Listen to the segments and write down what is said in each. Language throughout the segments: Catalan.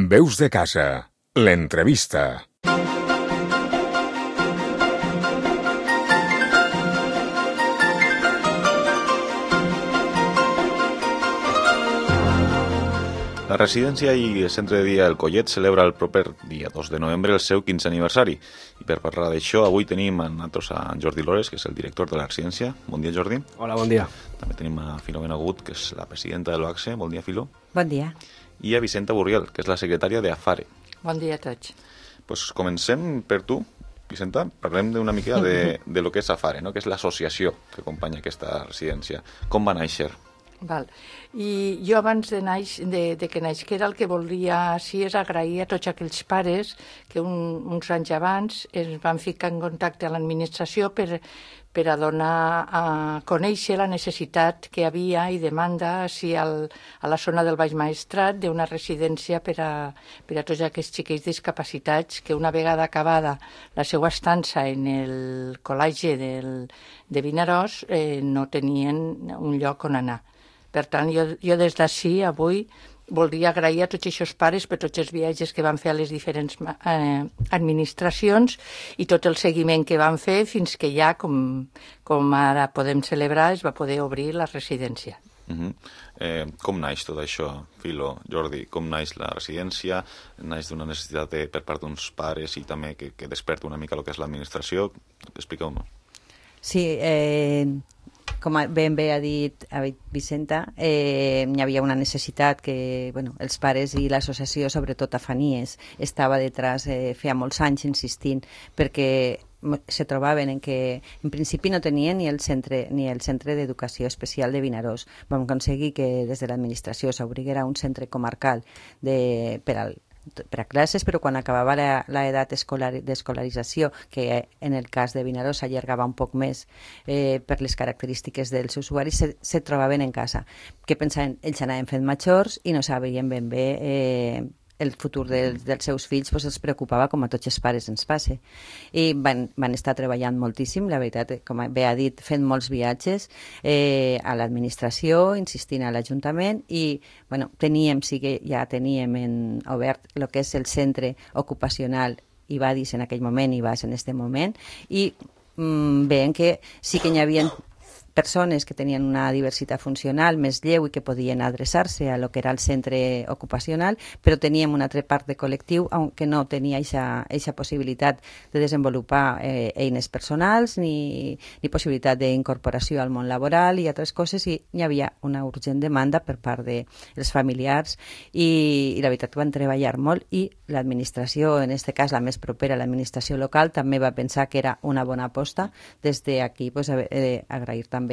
Veus de casa, l'entrevista. La residència i el centre de dia El Collet celebra el proper dia 2 de novembre el seu 15è aniversari. I per parlar d'això, avui tenim a nosaltres a Jordi Lores, que és el director de la residència. Bon dia, Jordi. Hola, bon dia. També tenim a Filomena Gut, que és la presidenta de l'OACSE. Bon dia, Filo. Bon dia. I a Vicenta Burriel, que és la secretària d'AFARE. Bon dia a tots. Pues comencem per tu, Vicenta. Parlem d'una mica de lo que és AFARE, no? Que és l'associació que acompanya aquesta residència. Com va néixer? Val. I jo abans de que naixera el que volia és agrair a tots aquells pares que uns anys abans es van ficar en contacte a l'administració per a donar a conèixer la necessitat que havia i demanda a la zona del Baix Maestrat d'una residència per a tots aquests xiquets discapacitats que una vegada acabada la seva estança en el col·legi de Vinaròs no tenien un lloc on anar. Per tant, jo des d'ací, avui, voldria agrair a tots aquests pares per tots els viatges que van fer a les diferents administracions i tot el seguiment que van fer fins que ja, com ara podem celebrar, es va poder obrir la residència. Com naix tot això, Filo, Jordi? Com naix la residència? Naix d'una necessitat per part d'uns pares i també que desperta una mica el que és l'administració? Expliqueu-me. Sí, com ben bé ha dit Vicenta, hi havia una necessitat que els pares i l'associació, sobretot a Fanies, estava detrás feia molts anys insistint, perquè se trobaven en que en principi no tenien ni el centre d'educació especial de Vinaròs. Vam aconseguir que des de l'administració s'obriguera un centre comarcal per a classes, però quan acabava l'edat d'escolarització, que en el cas de Vinaròs s'allargava un poc més per les característiques dels usuaris, se trobaven en casa. Què pensaven? Ells anaven fent majors i no sabien ben bé el futur dels seus fills, els preocupava com a tots els pares ens passa. I van estar treballant moltíssim, la veritat, com bé ha dit, fent molts viatges a l'administració, insistint a l'Ajuntament i ja teníem obert el que és el centre ocupacional IBADIS en aquell moment, IBAS en aquest moment, i veiem que sí que hi havia persones que tenien una diversitat funcional més lleu i que podien adreçar-se a lo que era el centre ocupacional, però teníem una altra part de col·lectiu que no tenia aquesta possibilitat de desenvolupar eines personals ni possibilitat d'incorporació al món laboral i altres coses, i hi havia una urgent demanda per part dels familiars i la veritat que van treballar molt i l'administració, en aquest cas la més propera, l'administració local, també va pensar que era una bona aposta. Des d'aquí agrair també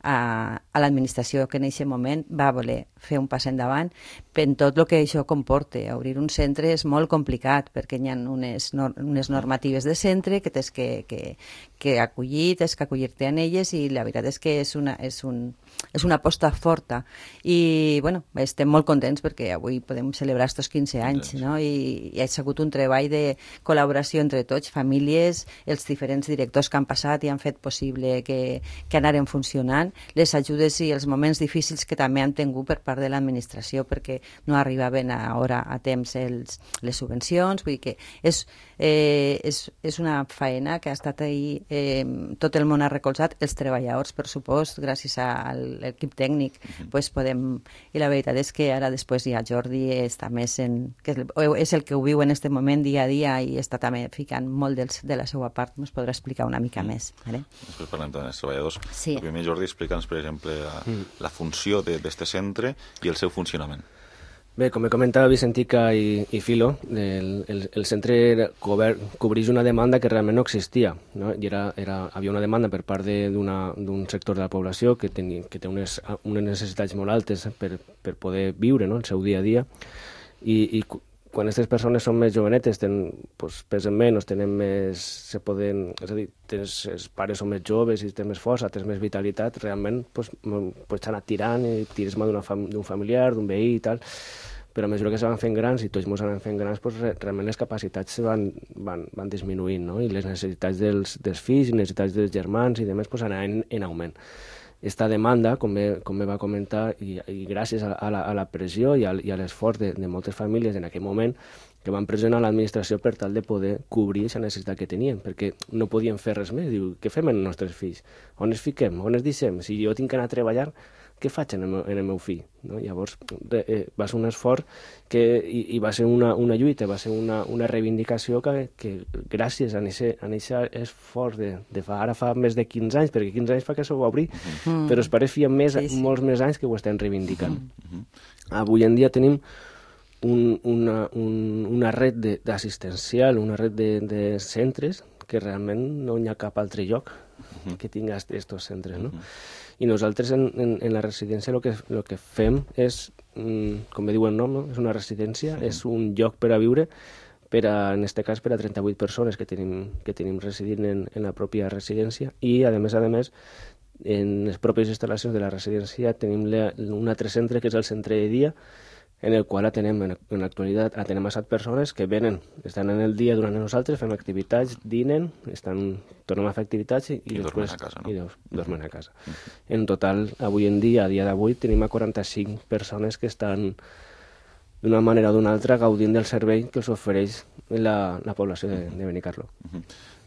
a l'administració que en aquest moment va voler fer un pas endavant en tot el que això comporta. Obrir un centre és molt complicat perquè hi ha unes normatives de centre que tens que acollir, tens que acollir-te en elles, i la veritat és que és una aposta forta i estem molt contents perquè avui podem celebrar aquests 15 anys, no? I ha sigut un treball de col·laboració entre tots, famílies, els diferents directors que han passat i han fet possible que anaren funcionant, les ajudes i els moments difícils que també han tingut per part de l'administració perquè no arribaven a temps les subvencions. Vull dir que és una faena que ha estat ahí, tot el món ha recolzat, els treballadors, per supost, gràcies a l'equip tècnic, i la veritat és que ara després ja Jordi està més que és el que ho viu en aquest moment dia a dia i està també ficant molt de la seva part, ens podrà explicar una mica més. Després parlem també dels treballadors. Sí. El primer, Jordi, explica'ns, per exemple, la funció d'aquest centre i el seu funcionament. Bé, com comentava Vicentica i Filo, el centre cobreix una demanda que realment no existia, no? I havia una demanda per part d'un sector de la població que té unes necessitats molt altes per poder viure, no?, el seu dia a dia, i quan aquestes persones són més jovenetes, pesen menys, tenen més... És a dir, els pares són més joves i tens més força, tens més vitalitat, realment pots anar tirant i tires mà d'un familiar, d'un veí i tal, però a mesura que se van fent grans i tots ens anem fent grans, realment les capacitats van disminuint, no? I les necessitats dels fills i necessitats dels germans i demés anaven en augment. esta demanda, com bé va comentar, i gràcies a la pressió i a l'esforç de moltes famílies en aquell moment, que van pressionar l'administració per tal de poder cobrir aquesta necessitat que tenien, perquè no podien fer res més. Diu, què fem amb els nostres fills? On es fiquem? On es deixem? Si jo tinc que anar a treballar, què faig en el meu fill? No? Llavors va ser un esforç i va ser una lluita, va ser una reivindicació que gràcies a aquest esforç de ara fa més de 15 anys, perquè 15 anys fa que s'ho va obrir, però els pares feien molts més anys que ho estem reivindicant. Avui en dia tenim una red d'assistencial, una red de centres que realment no hi ha cap altre lloc que tingui aquests centres, no? I nosaltres en la residència el que fem és, com bé diu el nom, no? És una residència, és un lloc per a viure, en aquest cas per a 38 persones que tenim residint en la pròpia residència, i a més, en les pròpies instal·lacions de la residència tenim un altre centre que és el centre de dia, en el qual en l'actualitat atenem a 7 persones que venen, estan en el dia durant nosaltres, fem activitats, dinen, tornem a fer activitats i després dormen a casa. En total, avui en dia, a dia d'avui, tenim a 45 persones que estan d'una manera o d'una altra gaudint del servei que els ofereix la població de Benicarló.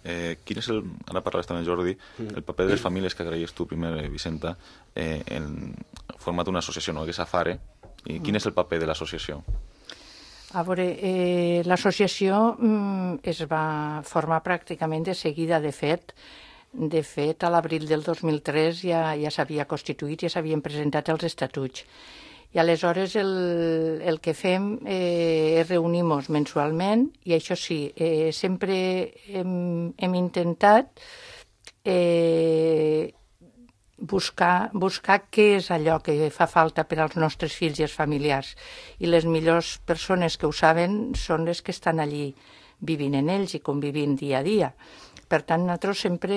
Quin és ara parlaves també, Jordi, el paper de les famílies que agraies tu primer, Vicenta, en format d'una associació, no?, que és AFARE. I quin és el paper de l'associació? A veure, l'associació es va formar pràcticament de seguida. De fet, a l'abril del 2003 ja s'havia constituït, ja s'havien presentat els estatuts. I aleshores el que fem és reunir-nos mensualment, i això sí, sempre hem intentat buscar què és allò que fa falta per als nostres fills i els familiars. I les millors persones que ho saben són les que estan allí vivint en ells i convivint dia a dia. Per tant, nosaltres sempre,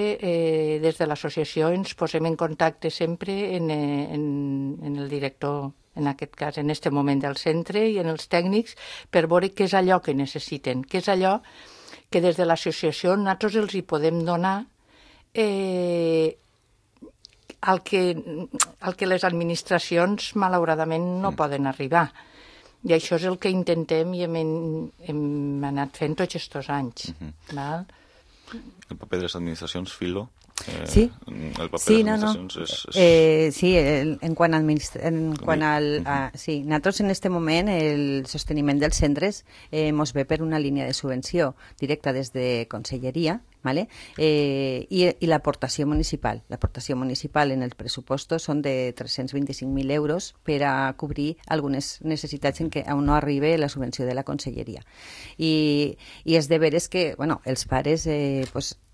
des de l'associació, ens posem en contacte sempre en el director, en aquest cas, en aquest moment del centre, i en els tècnics, per veure què és allò que necessiten, què és allò que des de l'associació nosaltres els hi podem donar al que les administracions malauradament no poden arribar. I això és el que intentem i hem anat fent tots aquests anys. Val? El paper de les administracions, Filo? Sí, el paper de les administracions sí, en quant al... sí, nosaltres en aquest moment el sosteniment dels centres mos ve per una línia de subvenció directa des de Conselleria, ¿vale? I l'aportació municipal. L'aportació municipal en els pressupostos són de 325.000 euros per a cobrir algunes necessitats en què no arriba la subvenció de la Conselleria. I és de veres que, bueno, els pares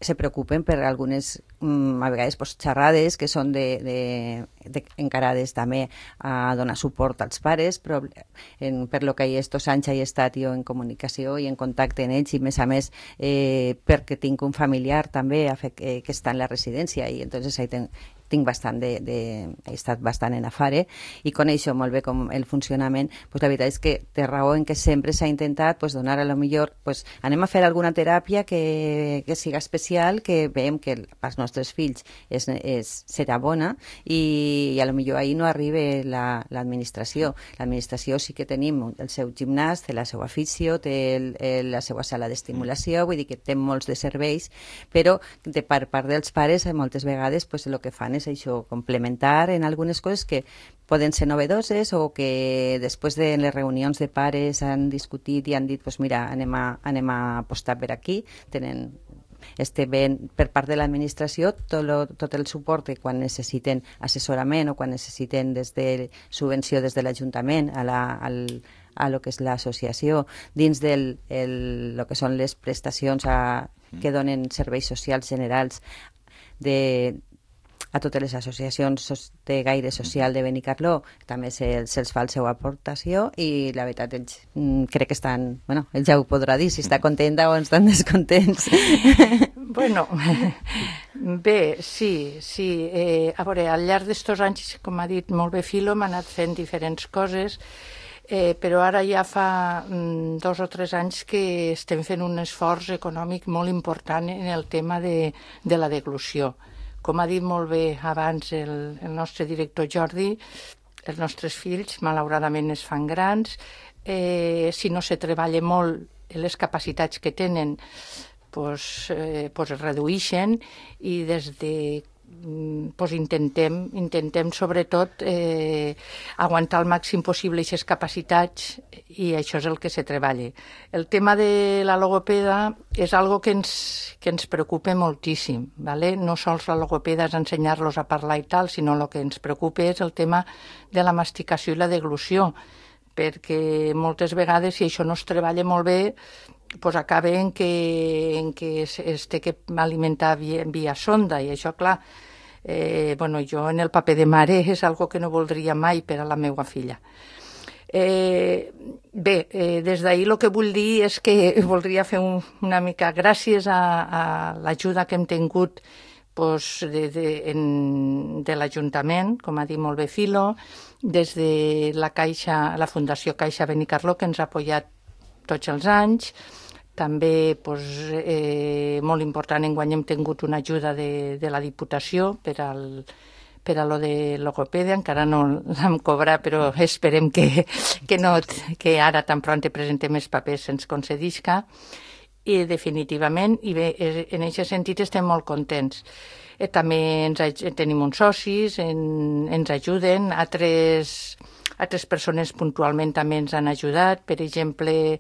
se preocupen per algunes, a vegades, xerrades que són encarades també a donar suport als pares, però per lo que estos anys he estat jo en comunicació i en contacte amb ells, i més a més perquè tinc un familiar també que està en la residència, i entonces ahí tinc bastant he estat bastant en AFARE i coneixo molt bé com el funcionament. Pues la veritat és que té raó en que sempre s'ha intentat donar a lo millor, anem a fer alguna teràpia que siga especial, que veiem que als nostres fills serà bona, i a lo millor ahir no arriba l'administració. L'administració sí que tenim el seu gimnàs, té la seva afició, té la seva sala d'estimulació, vull dir que té molts de serveis, però per part dels pares moltes vegades el que fan és això, complementar en algunes coses que poden ser novedoses, o que després de les reunions de pares han discutit i han dit, mira, anem a apostar per aquí. Tenen per part de l'administració tot el suport que quan necessiten assessorament o quan necessiten des de subvenció des de l'Ajuntament a lo que és l'associació, dins del lo que són les prestacions que donen serveis socials generals a totes les associacions de gaire social de Benicarló, també se'ls fa la seva aportació, i la veritat ells crec que estan, ell ja ho podrà dir si està contenta o estan descontents. Bueno, bé, sí. A veure, al llarg d'estos anys, com ha dit molt bé Filo, hem anat fent diferents coses, però ara ja fa 2 o 3 anys que estem fent un esforç econòmic molt important en el tema de la deglució. Com ha dit molt bé abans el nostre director Jordi, els nostres fills malauradament es fan grans, si no se treballa molt les capacitats que tenen pues es redueixen i des de intentem sobretot aguantar el màxim possible aquestes capacitats i això és el que se treballa. El tema de la logopeda és algo que ens preocupa moltíssim, ¿vale? No sols la logopeda és ensenyar-los a parlar i tal, sinó el que ens preocupa és el tema de la masticació i la deglució, perquè moltes vegades si això no es treballa molt bé pues acaba en que es té que alimentar via sonda i això, clar, jo en el paper de mare és algo que no voldria mai per a la meva filla. Des d'ahir el que vull dir és que voldria fer una mica gràcies a l'ajuda que hem tingut de l'Ajuntament, com ha dit molt bé Filo, des de la Fundació Caixa Benicarló, que ens ha apoyat tots els anys. També, molt important, enguany hem tingut una ajuda de la Diputació per a lo de logopèdia, encara no l'hem cobrat, però esperem que ara tan pront presentem els papers se'ns concedisca. I definitivament, i bé, en aquest sentit estem molt contents. També tenim uns socis, ens ajuden, altres persones puntualment també ens han ajudat. Per exemple,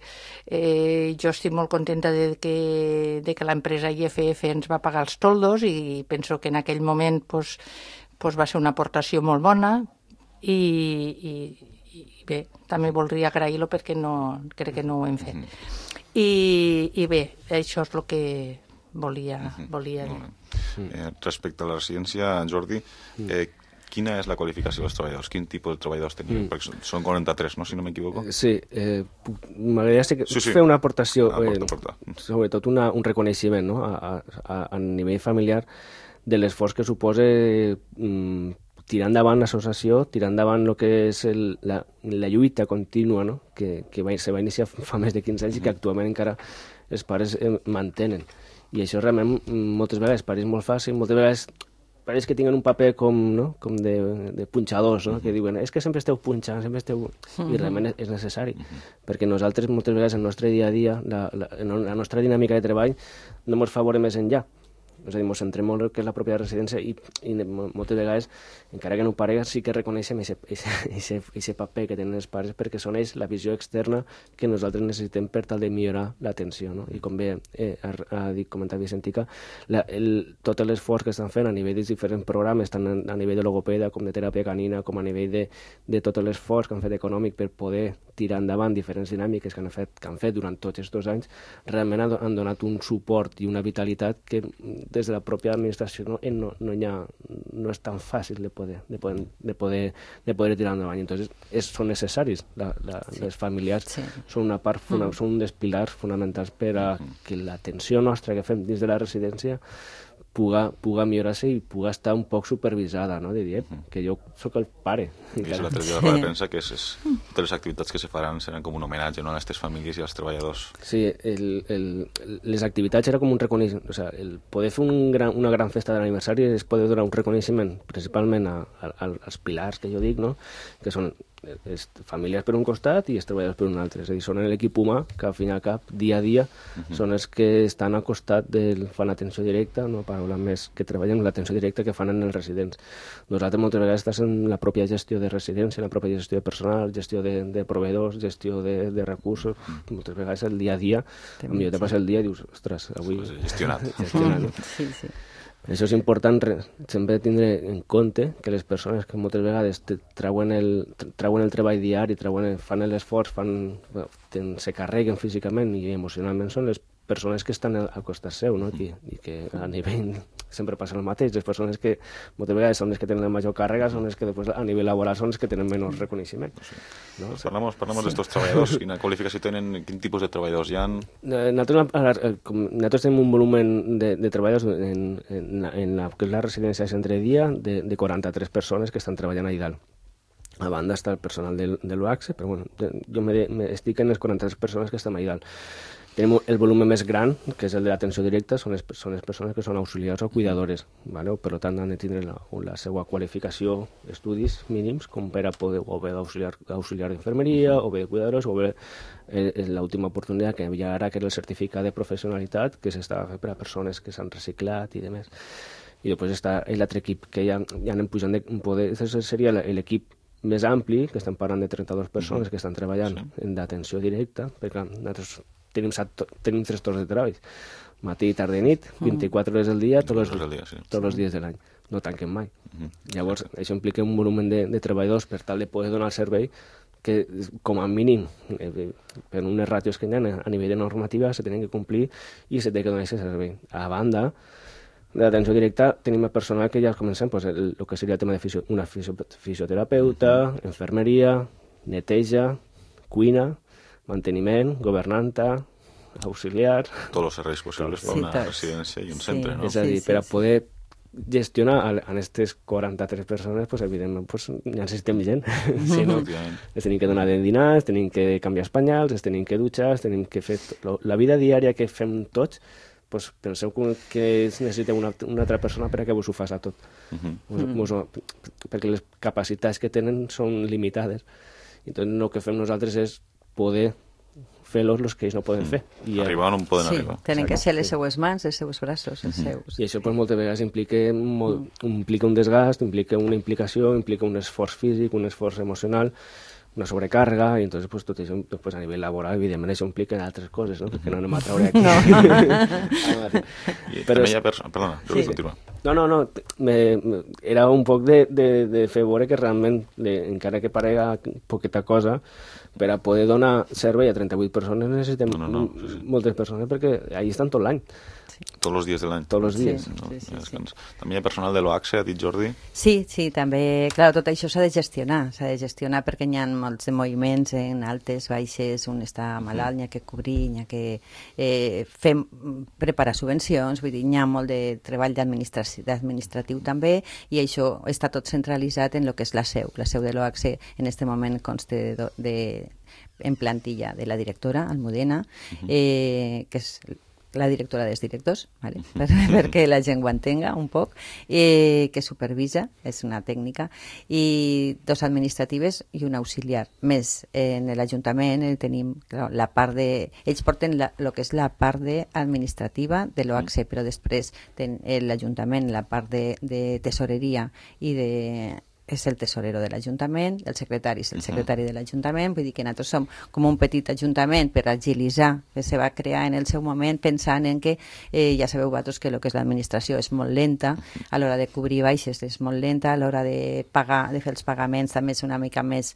jo estic molt contenta de que l'empresa IFF ens va pagar els toldos i penso que en aquell moment va ser una aportació molt bona i bé, també voldria agrair-lo perquè crec que no ho hem fet. I bé, això és el que volia dir. Respecte a la residència, Jordi, quina és la qualificació dels treballadors? Quin tipus de treballadors tenim? Perquè són 43, no? Si no m'equivoco. Sí, m'agradaria fer una aportació, sobretot un reconeixement, no? A nivell familiar de l'esforç que suposa tirar endavant l'associació, tirar endavant el que és la lluita contínua, no? que se va iniciar fa més de 15 anys i que actualment encara els pares mantenen. I això realment moltes vegades pareix molt fàcil, moltes vegades pareix que tinguen un paper com de punxadors, no? Que diuen, és que sempre esteu punxant, sempre esteu... I realment és necessari, perquè nosaltres moltes vegades el nostre dia a dia, la nostra dinàmica de treball no ens fa veure més enllà. És a dir, ens centrem molt el que és la pròpia residència i moltes vegades, encara que no ho parega, sí que reconeixem aquest paper que tenen els pares perquè són ells la visió externa que nosaltres necessitem per tal de millorar l'atenció, no? I com bé ha comentat Vicentica, tot l'esforç que estan fent a nivell dels diferents programes, tant a nivell de logopèdia com de teràpia canina, com a nivell de tot l'esforç que han fet econòmic per poder tirar endavant diferents dinàmiques que han fet durant tots aquests anys, realment han donat un suport i una vitalitat que des de la pròpia administració no és tan fàcil de poder tirar endavant. Entonces, són necessaris. Les familiars són una part, són un dels pilars fonamentals per a que l'atenció nostra que fem dins de la residència puga millorar-se i puga estar un poc supervisada, no? De dir, que jo sóc el pare. I és l'altre dia de la premsa que totes les activitats que se faran seran com un homenatge, no?, a aquestes famílies i als treballadors. Sí, les activitats era com un reconeixement, o sigui, el poder fer una gran festa d'aniversari és poder donar un reconeixement principalment als pilars que jo dic, no?, que són les famílies per un costat i els treballadors per un altre. És a dir, són l'equip humà que al fin i al cap, dia a dia, són els que estan al costat fan l'atenció directa, no paraules més, que treballen l'atenció directa que fan en els residents. Nosaltres moltes vegades estàs en la pròpia gestió de residència, la pròpia gestió de personal, gestió de proveïdors, gestió de recursos. Moltes vegades el dia a dia, potser te passa el dia i dius, ostres, avui... Gestionat. No? Sí. Això és important sempre tindre en compte que les persones que moltes vegades treuen el treball diari, fan l'esforç, se carreguen físicament i emocionalment, són les persones que estan al costat seu, no? I que a nivell sempre passa el mateix. Les persones que moltes vegades són les que tenen la major càrrega són les que després a nivell laboral són les que tenen menys reconeixement. No? Parlem d'estos treballadors. Quina qualificació tenen? Quin tipus de treballadors hi ha? Nosaltres tenim un volumen de treballadors en la residència de centre de dia de 43 persones que estan treballant allà dalt. A banda està el personal de l'UACSE, però bueno, jo estic en les 43 persones que estan allà dalt. Tenim el volum més gran, que és el de l'atenció directa, són les persones que són auxiliars o cuidadores, ¿vale? Per tant han de tindre la seva qualificació, estudis mínims, com per a poder o bé d'auxiliar d'infermeria, o bé de cuidadors, o bé l'última oportunitat que hi ha ara, que és el certificat de professionalitat, que s'està fent per a persones que s'han reciclat i demés. I després està l'altre equip que ja anem pujant de poder, seria l'equip més ampli, que estem parlant de 32 persones que estan treballant en d'atenció directa, perquè nosaltres tenim 3 torns de treball, matí, tarda i nit, 24 hores al dia, tots els dies de l'any, no tanquem mai. Llavors, això implica un volum de treballadors per tal de poder donar el servei que, com a mínim, per unes ràtios que hi ha a nivell de normativa, se tenen que complir i se té que donar aquest servei. A banda, de l'atenció directa tenim el personal que ja comencem, el que seria el tema de una fisioterapeuta, infermeria, neteja, cuina, manteniment, governanta, auxiliar... Tots els serveis possibles per una residència i un centre, no? És a dir, per a poder gestionar a aquestes 43 persones, evidentment, necessitem gent. Si no, les tenim que donar de dinar, les tenim que canviar espanyals, les tenim que dutxar, les tenim que fer... La vida diària que fem tots, penseu que necessitem una altra persona per a que vos ho faci tot. Perquè les capacitats que tenen són limitades. Entonces, el que fem nosaltres és poder fer-los els que ells no poden fer. Arribar on poden arribar. Tenen que ser les seues mans, els seus braços, els seus. I això moltes vegades implica un desgast, implica una implicació, implica un esforç físic, un esforç emocional, una sobrecàrrega, i entonces tot això a nivell laboral, evidentment, això implica altres coses, no? Perquè no anem a traure aquí. Però hi ha persones... Perdona, jo vull continuar. No, era un poc de fer veure que realment, encara que parega poqueta cosa, per a poder donar servei a 38 persones necessitem moltes persones, perquè allà estan tot l'any. Tots els dies de l'any. Tots els dies. Sí. També hi ha personal de l'OACSE, ha dit Jordi? Sí, també, clar, tot això s'ha de gestionar perquè hi ha molts de moviments en altes, baixes, un està malalt, n'hi ha que cobrir, n'hi ha que preparar subvencions, vull dir, hi ha molt de treball administratiu també, i això està tot centralitzat en el que és la seu de l'OACSE en aquest moment consta en plantilla de la directora, Almudena, que és la directora dels directors, ¿vale? Perquè la gent ho entenga un poc, que supervisa, és una tècnica, i 2 administratives i un auxiliar. Més, en l'Ajuntament tenim la part de... Ells porten el que és la part administrativa de l'OACSE, però després l'Ajuntament, la part de tesoreria i de... és el tesorero de l'Ajuntament, el secretari és el secretari de l'Ajuntament, vull dir que nosaltres som com un petit ajuntament per agilitzar, que se va crear en el seu moment pensant en que, ja sabeu vosaltres que el que és l'administració és molt lenta, a l'hora de cobrir baixes és molt lenta, a l'hora de pagar, de fer els pagaments també és una mica més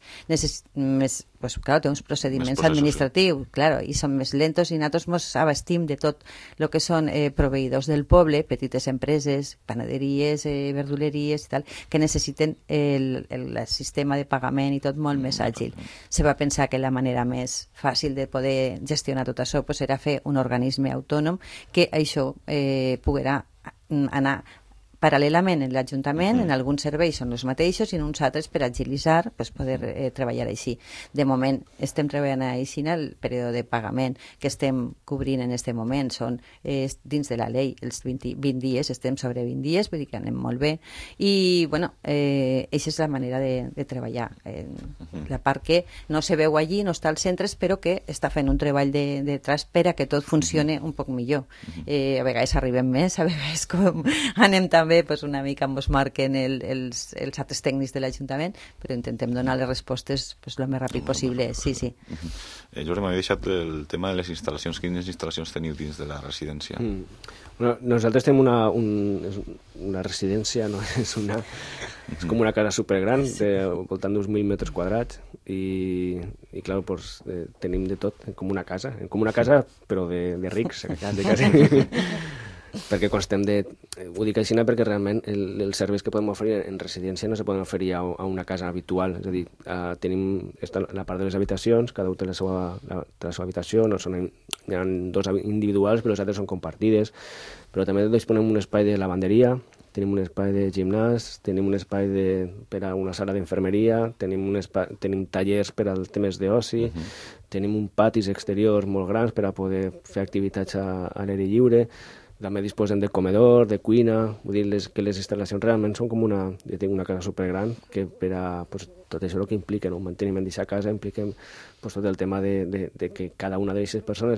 pues claro, té uns procediments administratius, claro, i són més lentos i nosaltres ens abastim de tot el que són proveïdors del poble, petites empreses, panaderies, verduleries i tal, que necessiten el sistema de pagament i tot molt més àgil. Se va pensar que la manera més fàcil de poder gestionar tot això pues, era fer un organisme autònom que això poguera anar paral·lelament en l'Ajuntament, en alguns serveis són els mateixos i en uns altres per agilitzar pues, poder treballar així. De moment estem treballant així en el període de pagament que estem cobrint en aquest moment són dins de la llei els 20 dies, estem sobre 20 dies, vull dir que anem molt bé i bueno, aquesta és la manera de treballar. La part que no se veu allí, no està als centres, però que està fent un treball de tras per a que tot funcione un poc millor. A vegades arribem més, a vegades com anem també pues, una mica ens marquen els altres tècnics de l'Ajuntament, però intentem donar les respostes pues, el més ràpid possible. Sí. Jordi, m'havia deixat el tema de les instal·lacions. Quines instal·lacions teniu dins de la residència? Bueno, nosaltres tenim una residència, no? és com una casa supergran, voltant d'uns 1.000 metres quadrats, i clar, pues, tenim de tot, com una casa però de rics, quasi. Perquè constem ho dic així perquè realment els serveis que podem oferir en residència no se poden oferir a una casa habitual, és a dir, tenim la part de les habitacions, cada un té la seva habitació, hi ha 2 individuals però les altres són compartides, però també disponem un espai de lavanderia, tenim un espai de gimnàs, tenim un espai per a una sala d'infermeria, tenim tallers per als temes d'oci, tenim un patis exteriors molt grans per a poder fer activitats a l'aire lliure, també disposem de comedor, de cuina, vull dir que les instal·lacions realment són com una... Jo tinc una casa supergran que per a pues, tot això el que implica, no? Manteniment d'aquesta casa implica pues, tot el tema de que cada una d'aquestes persones,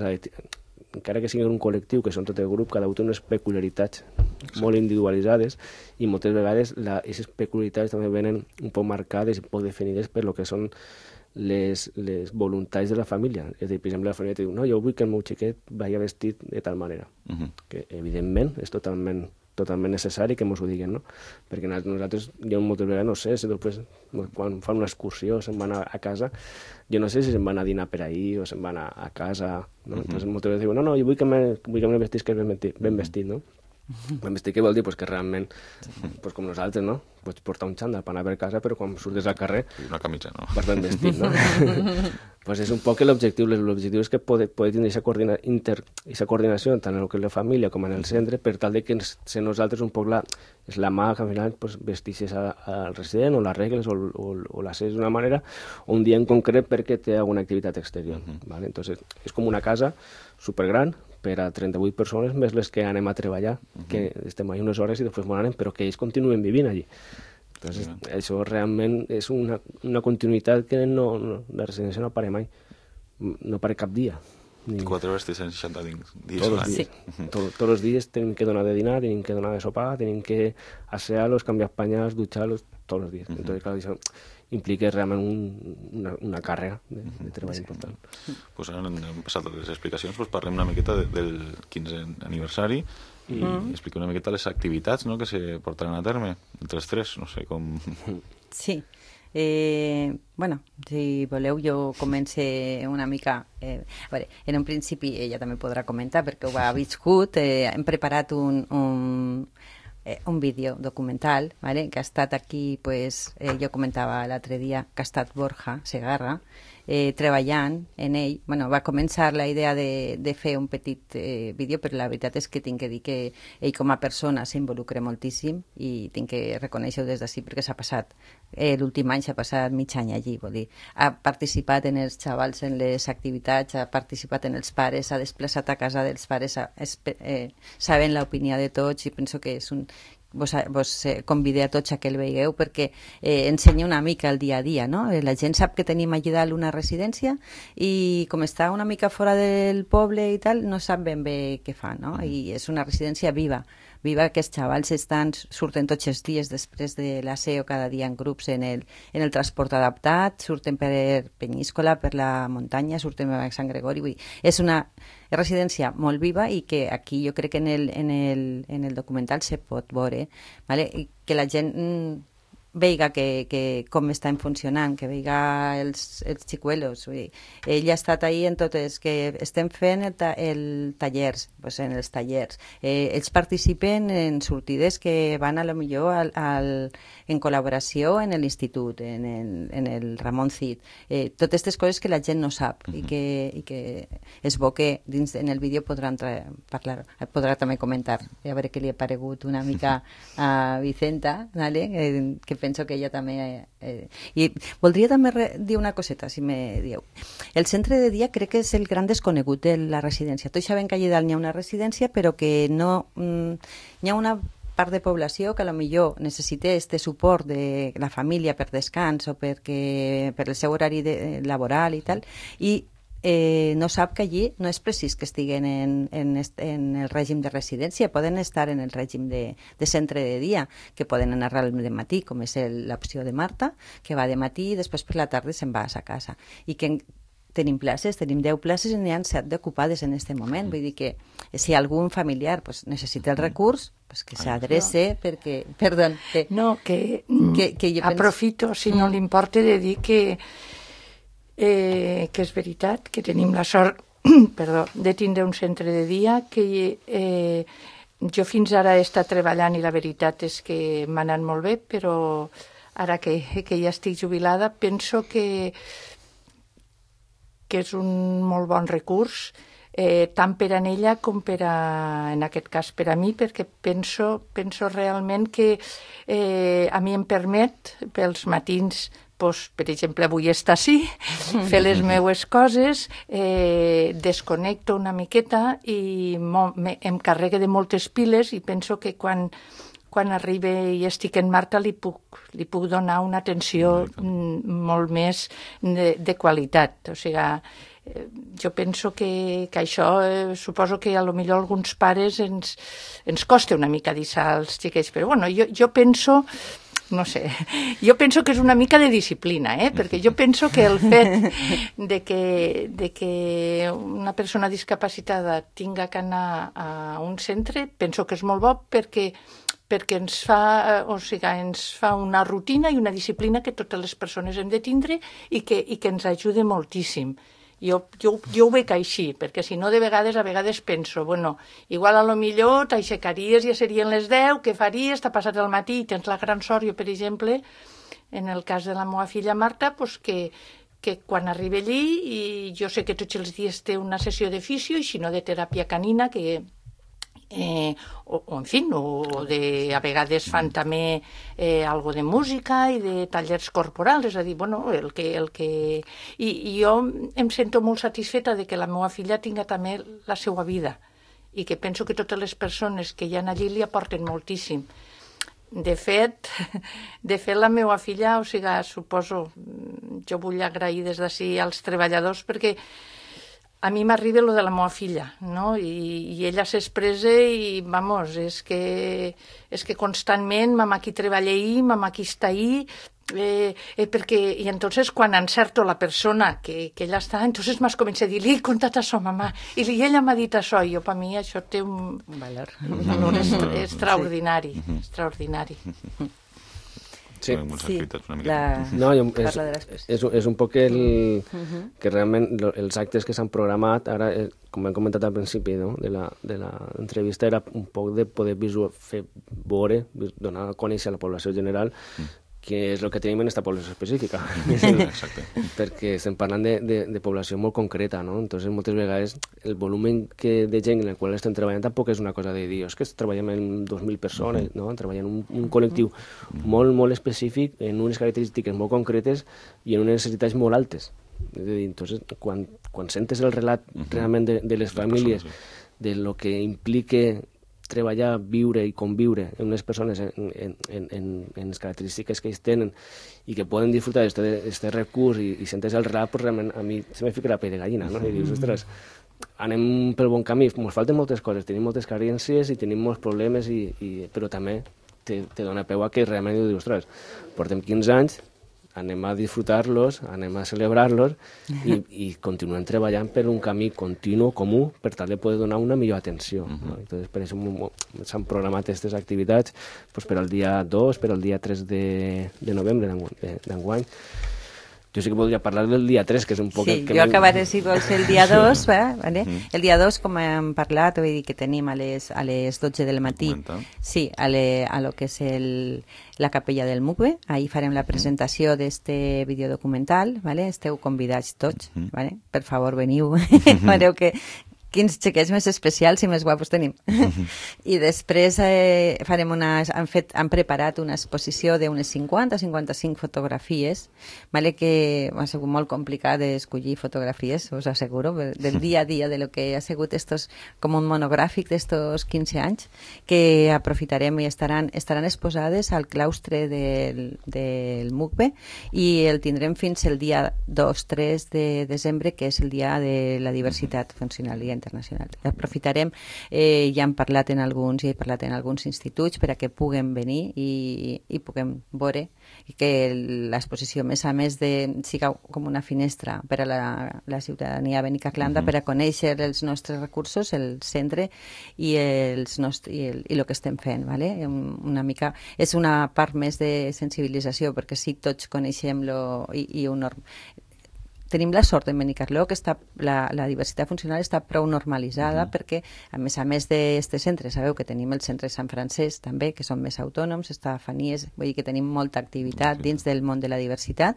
encara que siguin un col·lectiu, que són tot el grup, cada un té unes peculiaritats molt individualitzades i moltes vegades aquestes peculiaritats també venen un poc marcades i poc definides per lo que són les voluntats de la família. És a dir, per exemple, la família te diu, no, jo vull que el meu xiquet vagi vestit de tal manera. Que, evidentment, és totalment necessari que ens ho diguin, no? Perquè nosaltres, jo moltes vegades no sé, si després, quan fan una excursió, se'n van a casa, jo no sé si se'n van a dinar per ahir o se'n van a casa, no? Entonces, moltes vegades diuen, no, jo vull que me vestis que és ben vestit, no? Ben vestit què vol dir? Pues que realment, pues com nosaltres, no? Pots portar un xandall per anar per casa, però quan surtes al carrer... Una camisa, no? Vas ben vestit, no? Pues és un poc l'objectiu. L'objectiu és que poder tenir aquesta coordinació tant en el que és la família com en el centre, per tal de que ser nosaltres un poc és la mà que al final pues, vestixes al resident o les regles o la ses d'una manera, o un dia en concret perquè té alguna activitat exterior. ¿Vale? Entonces, és com una casa supergran, per a 38 persones, més les que anem a treballar, que estem allà unes hores i després m'ho anem, però que ells continuen vivint allí. Entonces, això realment és una continuïtat que la residència no para mai, no para cap dia. 4 hores, 360 dies. Todos los días. Todos los días tienen que donar de dinar, tienen que donar de sopar, tienen que asearlos, cambiar pañales, ducharlos, todos los días. Entonces, claro, això implica realment una càrrega de treball important. Pues ara hem passat les explicacions, pues parlem una miqueta del 15è aniversari i expliquem una miqueta les activitats, no?, que se portaran a terme entre els tres, no sé com... Sí. Bueno, si voleu jo comence una mica a veure, en un principi ella també podrà comentar perquè ho ha viscut, hem preparat un vídeo documental, ¿vale? Que ha estat aquí, pues, jo comentava l'altre dia que ha estat Borja Segarra treballant en ell. Bueno, va començar la idea de fer un petit vídeo, però la veritat és que tinc que dir que ell com a persona s'involucra moltíssim i tinc que reconèixer-ho des d'ací perquè s'ha passat, l'últim any s'ha passat mig any allí, vol dir, ha participat en els xavals en les activitats, ha participat en els pares, s'ha desplaçat a casa dels pares, sabent l'opinió de tots i penso que és un... Vos convidé a tots a que el veigueu perquè ensenya una mica el dia a dia, no? La gent sap que tenim allà dalt una residència i com està una mica fora del poble i tal, no sap ben bé què fa, no? I és una residència viva, que els xavals surten tots els dies després de l'aseo cada dia en grups en el transport adaptat, surten per Penyíscola, per la muntanya, surten a Sant Gregori, vull dir, és una residència molt viva i que aquí jo crec que en el documental se pot veure, ¿vale? I que la gent veiga que com estan funcionant, que veiga els xicuelos. Ell ha estat ahí en totes, que estem fent tallers, pues en els tallers. Ells participen en sortides que van a lo millor en col·laboració en l'institut, en el Ramon Cid. Totes aquestes coses que la gent no sap i que és bo que dins en el vídeo podrà també comentar, a veure què li ha paregut una mica a Vicenta, ¿vale? Que penso que ella també... I voldria també dir una coseta, si me dieu. El centre de dia crec que és el gran desconegut de la residència. Tots sabem que allà dalt n'hi ha una residència, però que no... N'hi ha una part de població que a lo millor necessita este suport de la família per descans o per el seu horari laboral i tal, i no sap que allí no és precís que estiguen en el règim de residència, poden estar en el règim de centre de dia, que poden anar al matí, com és l'opció de Marta, que va de matí i després per la tarda se'n va a sa casa. I que tenim places, tenim 10 places i n'hi ha 7 ocupades en aquest moment. Vull dir que si algun familiar necessita el recurs, que s'adrece perquè... Perdó. No, que aprofito, si no li importa, de dir que és veritat que tenim la sort de tindre un centre de dia que jo fins ara he estat treballant i la veritat és que m'ha anat molt bé, però ara que ja estic jubilada penso que és un molt bon recurs, tant per a ella com en aquest cas per a mi, perquè penso realment que a mi em permet pels matins pues, per exemple, avui estar així, fer les meues coses, desconnecto una miqueta i em carregue de moltes piles i penso que quan arribi i estic en Marta li puc donar una atenció molt més de qualitat. O sigui, jo penso que això, suposo que a lo millor alguns pares ens costa una mica deixar als xiquets, però bueno, jo penso... No sé, jo penso que és una mica de disciplina, perquè jo penso que el fet de que una persona discapacitada tinga que anar a un centre, penso que és molt bo perquè ens fa una rutina i una disciplina que totes les persones hem de tindre i que ens ajuda moltíssim. Jo ho veig així, perquè si no a vegades penso, bueno, igual a lo millor t'aixecaries, ja serien les 10, què faries? T'ha passat el matí i tens la gran sort, jo per exemple, en el cas de la meva filla Marta, pues que quan arribi allí, i jo sé que tots els dies té una sessió de fisio i si no de teràpia canina, a vegades fan també algo de música i de tallers corporals, és a dir, bueno, i jo em sento molt satisfeta de que la meva filla tinga també la seva vida i que penso que totes les persones que hi ha allí li aporten moltíssim. De fet, la meva filla, o sigui, suposo, jo vull agrair des d'ací als treballadors perquè a mi m'arriba lo de la meva filla, no? I ella s'expressa i, vamos, és que constantment, mamà aquí treballa ahí, mamà aquí està ahí, i entonces quan encerto la persona que ella està, entonces m'has començat a dir, li he contat això, mamà, i ella m'ha dit això, i jo, per mi, això té un valor extraordinari, extraordinari. Sí, no, és un poc que realment els actes que s'han programat, ara, com hem comentat al principi de l'entrevista, era un poc de poder fer veure, donar a conèixer a la població general que és el que tenim en aquesta població específica. Exacte. Perquè estem parlant de població molt concreta, no? Entonces, moltes vegades, el volum de gent en el qual estem treballant tampoc és una cosa de dir, és que treballem en 2.000 persones, no? Treballem en un col·lectiu molt, molt específic, en unes característiques molt concretes i en unes necessitats molt altes. És a dir, entonces, quan sentes el relat realment de les famílies, de lo que implica treballar, viure i conviure en unes persones en les característiques que ells tenen i que poden disfrutar d'aquest recurs i sentes el relat, pues realment a mi se me fica la pell de gallina, no? I dius, ostres, anem pel bon camí, ens falten moltes coses, tenim moltes carències i tenim molts problemes, però també te dona peu a que realment dius, ostres, portem 15 anys, anem a disfrutar-los, anem a celebrar-los i continuem treballant per un camí continu, comú, per tal de poder donar una millor atenció. No? Entonces, per això s'han programat aquestes activitats per al dia 2, per al dia 3 de novembre d'enguany. Jo sí que podria parlar del dia 3, que és un poc... Sí, jo acabaré, si vols, el dia 2, ¿vale? El dia 2, com hem parlat, vull dir que tenim a les 12 del matí, sí, a lo que és la capella del Mugbe, ahí farem la presentació d'este videodocumental, ¿vale? Esteu convidats tots, ¿vale? Per favor, veniu, veureu que quins xiquets més especials i més guapos tenim. I després han preparat una exposició d'unes 50 o 55 fotografies, vale, que ha sigut molt complicat d'escollir fotografies, us asseguro, del dia a dia de lo que ha sigut com un monogràfic d'estos 15 anys, que aprofitarem i estaran exposades al claustre del Mugbe i el tindrem fins el dia 2-3 de desembre, que és el dia de la diversitat funcional i internacional. Aprofitarem, ja hem parlat en alguns instituts per a que puguem venir i puguem veure que l'exposició, a més de siga com una finestra per a la ciutadania benicaclanda, per a conèixer els nostres recursos, el centre i el que estem fent, ¿vale? Una mica és una part més de sensibilització, perquè sí, tots coneixem tenim la sort en Benicarló que la diversitat funcional està prou normalitzada perquè, a més d'aquest centre, sabeu que tenim el centre Sant Francesc també, que són més autònoms, està a Fanies, vull dir que tenim molta activitat dins del món de la diversitat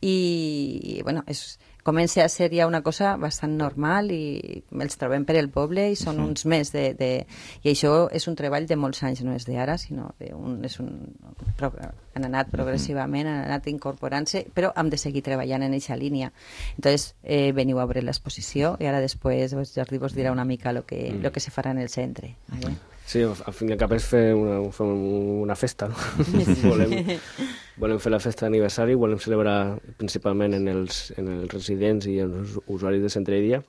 i, bueno, és comença a ser ja una cosa bastant normal i els trobem per el poble i són uns més I això és un treball de molts anys, no és d'ara, sinó han anat progressivament, han anat incorporant-se, però hem de seguir treballant en aquesta línia. Entonces, veniu a veure l'exposició i ara després Jordi vos dirà una mica lo que se farà en el centre. ¿Vale? Sí, al fin i al cap és fer una festa, no? Volem fer la festa d'aniversari, volem celebrar principalment en els residents i els usuaris de centre de dia,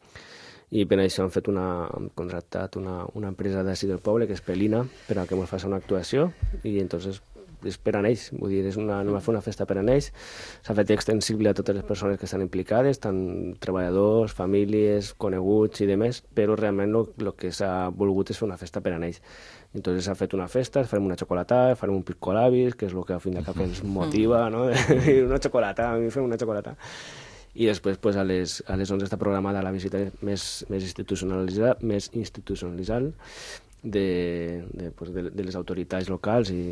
i per això hem contractat una empresa d'ací del poble, que és Pelina, per a que ens faci una actuació, i entonces és per a ells, vull dir, no va fer una festa per a ells, s'ha fet extensible a totes les persones que estan implicades, tant treballadors, famílies, coneguts i demés, però realment el que s'ha volgut és fer una festa per a ells. Entonces s'ha fet una festa, farem una xocolatada, farem un piscolabis, que és el que al fin de cap ens motiva, no? Una xocolata, a mi fem una xocolata. I després pues, a les 11 està programada la visita més institucionalitzada de les autoritats locals i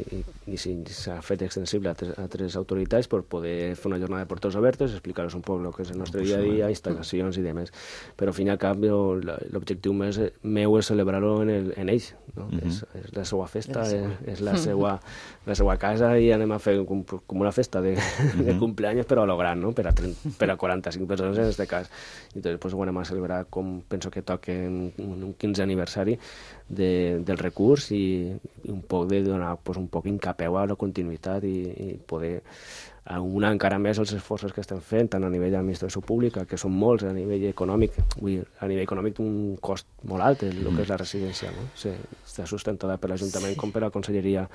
s'ha fet extensible a altres autoritats per poder fer una jornada de portes obertes, explicar-los un poc el que és el nostre dia a dia, instal·lacions i demés. Però al fin i al cap l'objectiu meu és celebrar-ho en ells, no? És la seva festa, és la seva casa i anem a fer com una festa de cumpleaños però a lo gran, no? Per a 45 persones en aquest cas. I doncs ho anem a celebrar com penso que toca en un 15 aniversari del recurs i un poc de donar un poc incapeu a la continuïtat i poder aunar encara més els esforços que estem fent, tant a nivell d'administració pública, que són molts, a nivell econòmic. A nivell econòmic té un cost molt alt, el que és la residència, no? Està sustentada per l'Ajuntament com per la Conselleria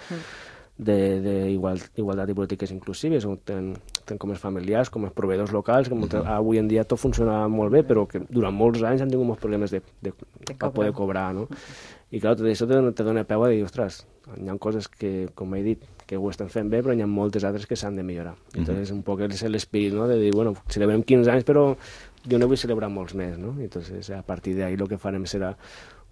d'Igualtat i Polítiques Inclusives, on tenen com els familiars, com els proveïdors locals, que avui en dia tot funciona molt bé, però que durant molts anys han tingut molts problemes de poder cobrar, no? I clar, tot això te dona peu a dir, ostres, hi ha coses que, com he dit, que ho estan fent bé, però hi ha moltes altres que s'han de millorar. Entonces, un poc és l'espírit, no?, de dir, bueno, celebrem 15 anys, però jo no vull celebrar molts més, no? Entonces, a partir d'ahí el que farem serà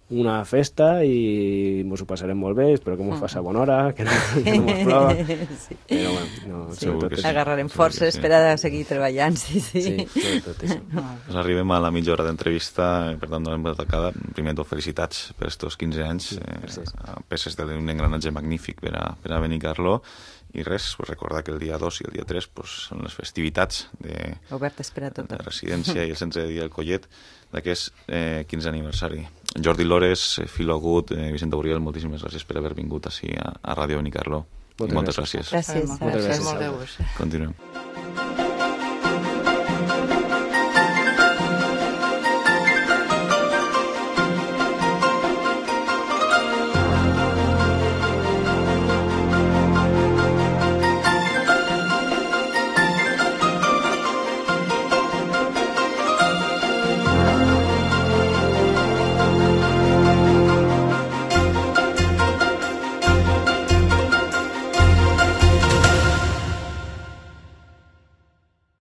una festa i ens ho passarem molt bé, espero que ens faci bona hora, que no ens plova. Sí. Però bueno, agarrarem forces per a seguir treballant, sí. Sobretot això. Pues arribem a la mitja hora d'entrevista, per tant, donem tacada. Primer tot, felicitats per estos 15 anys, peces d'un engranatge magnífic per a Benicarló. I res, recordar que el dia 2 i el dia 3 són les festivitats obertes per a tothom, de residència i el centre de dia del Collet d'aquest 15 aniversari. Jordi Lores, Filo Agut, Vicenta Uriel, moltíssimes gràcies per haver vingut així a Ràdio Benicarló. Moltes gràcies. Gràcies. Molt bé. Continuem.